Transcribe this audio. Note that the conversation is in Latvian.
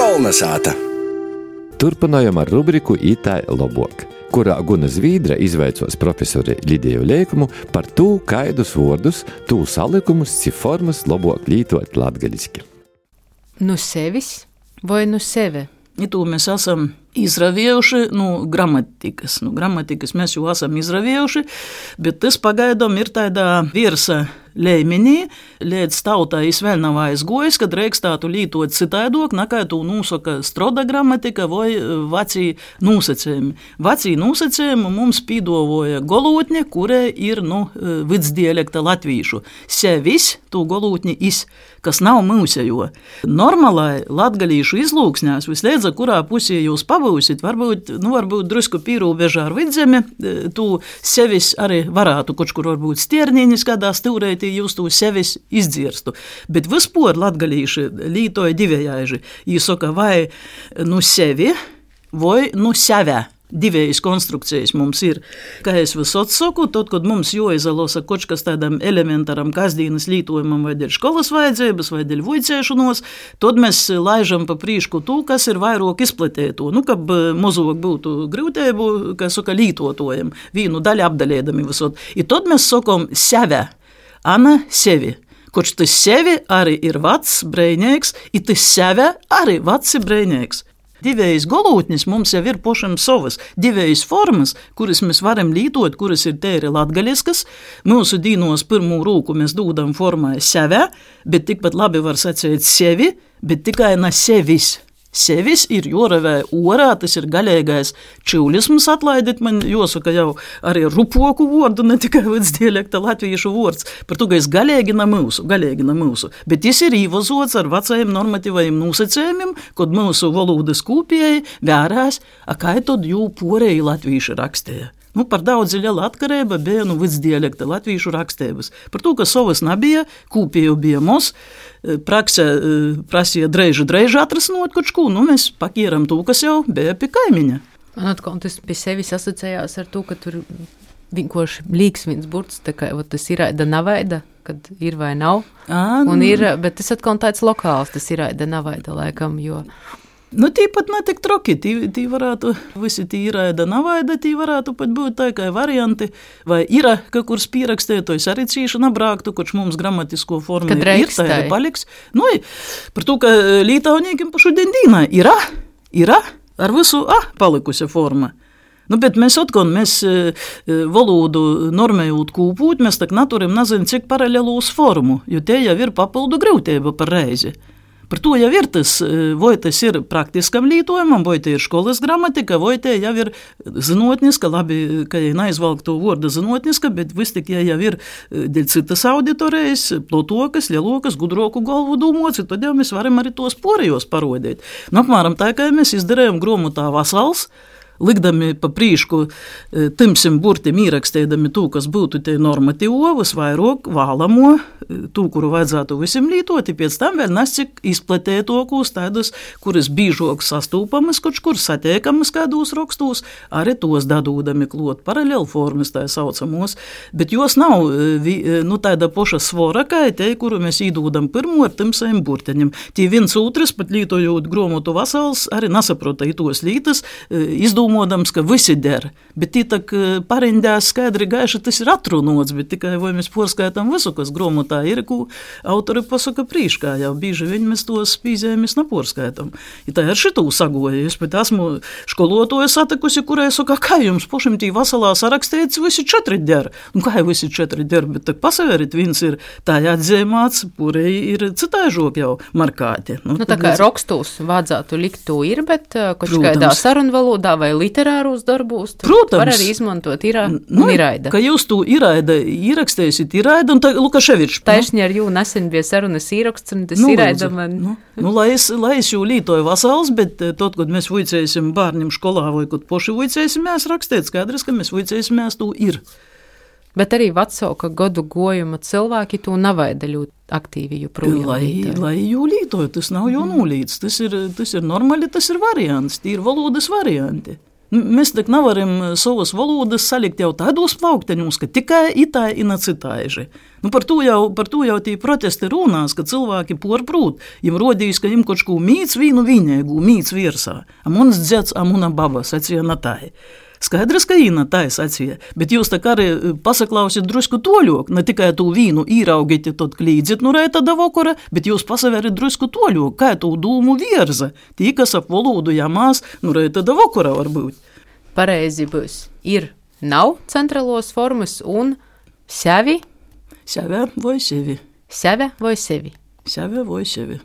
Kolnesāta. Turpinājam ar rubriku Itai lobuok, kurā Guna Zvīdra izveicos profesori Lidiju Leikumu par tū, kaidus vordus, tū salikumus, formas lobuok lītot latgaliski. Nu sevis vai nu seve? To mēs esam izraviejuši, gramatikas. Gramatikas mēs jau esam izraviejuši, bet tas pagaidām ir tādā virsa līmenī, līdz tautai vēl nav aizgojis, kad reikstētu lītot citaidok, nekā to nosaka stroda gramatika vai vecī nosacējumi. Vecī nosacējumi mums pīdovoja golūtņi, kurai ir vidsdialekta latvīšu. Sevis, to golūtņi is, kas nav mūsejo. Normalai latgalīšu izlūksņās, visliedza, kurā pusī jūs pabūsit, varbūt drusku pīrūbežā ar vidzemi, tu sevis arī varētu, kur varbūt stierniņas kādā stūreitī jūs to sevis izdzirstu. Bet vispār latgalīši lītoja divējāži. Jī saka vai sevi, vai seve. Divējas konstrukcijas mums ir. Kā es visot saku, tad, kad mums jāizalosa kaut kas tādam elementaram kasdienas lītojumam vai dēļ školas vajadzības vai dēļ vuicēšanos, tad mēs laižam pa prīšku to, kas ir vairāk izplatēto. Kab mozog būtu grūtēbu, kā saka, lītotojam, vīnu daļu apdaļēdami visot. I tad mēs sakam seve, ana sevi. Koč tas sevi arī ir vacs, brēņēks, i tas seve arī vacs, brēņēks. Divējas golūtnis mums jau ir pošam savas. Divējas formas, kuras mēs varam lītot, kuras ir tēri latgaļiskas. Mūsu dīnos pirmū rūku mēs dūdam formai seve, bet tikpat labi var sacēt sevi, bet tikai na sevis. Sevis ir joravē orā, tas ir gaļēgais čivlisms, atlaidit man, jāsaka jau arī rupoku vordu, ne tikai vidsdialekta latviešu vords, par to, ka es gaļēgi na mūsu. Bet jis ir īvazots ar vecajiem normatīvajiem nosacējumiem, kad mūsu valodas kūpēji vērās, kā tad jū porēji latviešu rakstēja. Par daudz liela atkarība bija vidsdialekta latviešu rakstības. Par to, ka savas nebija, kūpēju bija mums, praksē prasīja dreiži atrasnot kaut ko, mēs pakieram to, kas jau bija pie kaimiņa. Man atkal tas pie sevis asociējās ar to, ka tur vienkārši līks viens burts, tā kā tas ir aida navaida, kad ir vai nav. Bet tas atkal tāds lokāls, tas ir aida navaida laikam, jo... Tīpat netik troki, tī varētu, visi tī iraida navaida, tī varētu pat būt tā kā varianti, vai ira, ka kurs pierakstētojs arī cīši nabrāktu, koč mums gramatisko formu ir, tā arī paliks. Par to, ka lītaunīkim pašu dīnā ira, ar visu palikusi forma. Bet mēs valodu normējot kūpūt, mēs tak naturim nezinu, cik paralelūs formu, jo tie jau ir papildu grūtība par reizi. Par to jau ir tas, vai tas ir praktiskam lītojumam, vai tie ir školas gramatika, vai tie jau ir zinotniska, labi, ka ja neizvalk to vordu zinotniska, bet vis tik ja jau ir dēļ citas auditorijas, plotokas, lielokas, gudroku galvu dūmoci, tad jau mēs varam arī tos porējos parodēt. Apmēram tā, kā mēs izdarējam gromotā vasals, likdami pa prīšku timsim burtim īrakstēdami tū, kas būtu te normatīvos, vairāk vālamo, tū, kuru vajadzētu visiem lītot, pēc tam vēl nescik izplatētokūs tādus, kuras bīžok sastūpamas, kur satiekamas kādos rakstos, arī tos dadūdami klot paralelformas, tā saucamos, bet jos nav tāda poša svora, kā te, kuru mēs īdūdam pirmo ar timsajiem burteņiem. Tie viens otrs, pat lītojot gromotu vasals, arī nesaprota itos lītas, domādams, ka visi der, bet tī tak parindās skaidri gaiši tas ir atrunots, bet tikai vai mēs porskaitām visu, kas gromotā ir, ko autori pasaka prīškā, jau bīži viņi mēs tos pīzējumus neporskaitām. Ja tā ir šitū sagoja, es pat esmu školotoju satikusi, kurai saka, kā jums pošim tī vasalā sarakstēts, visi 4 der. Kā visi 4 der, bet tak pasaverit, viens ir tā atzīmāts, purei ir citaižok jau markāti. Tā kā rakstūs vajadzētu likt to ir, bet kaut kādā sarunvalodā vai literārūs darbūs, protams, var arī izmantot iraida. Ka jūs to iraida īrakstēsit iraida, un tā Lukaševičs. Taisni ar jū nesen bija sarunas īraksts, un tas iraida man... Lai es jū lītoju vasals, bet tot, kad mēs vuicēsim bārņiem školā, vai kad poši vuicēsim, mēs rakstēt skaidrs, ka mēs vuicēsim, mēs to ir. Bet arī vecāka gadu gojuma cilvēki to navaida ļoti aktīvi joprojām. Lai jū lītoju, tas nav jau nulīts, tas ir normāli, tas ir variants, tie ir valodas varianti. Mēs tak nevaram savas valodas salikt jau tādos plaukteņos, ka tikai itā ina citaiži. Par to jau tī protesti runās, ka cilvēki porprūt. Jim rodīs, ka jim kočku mīts vīnu viņēgu, mīts virsā. A muns dzets, a muna baba, sacīja natai. Skaidrs, ka īna tā sacīja, bet jūs tā kā arī pasaklausiet drusku toļok, ne tikai tū vīnu īraugit, tad klīdzit no rēta da vokora, bet jūs pasaverit drusku toļok, kā tū dūmu virza, tī, kas ap valodu jāmās, no rēta da vokora var būt. Pareizi būs. Ir, nav centralos formas un sevi. Seve vai sevi. Seve vai sevi. Seve vai sevi.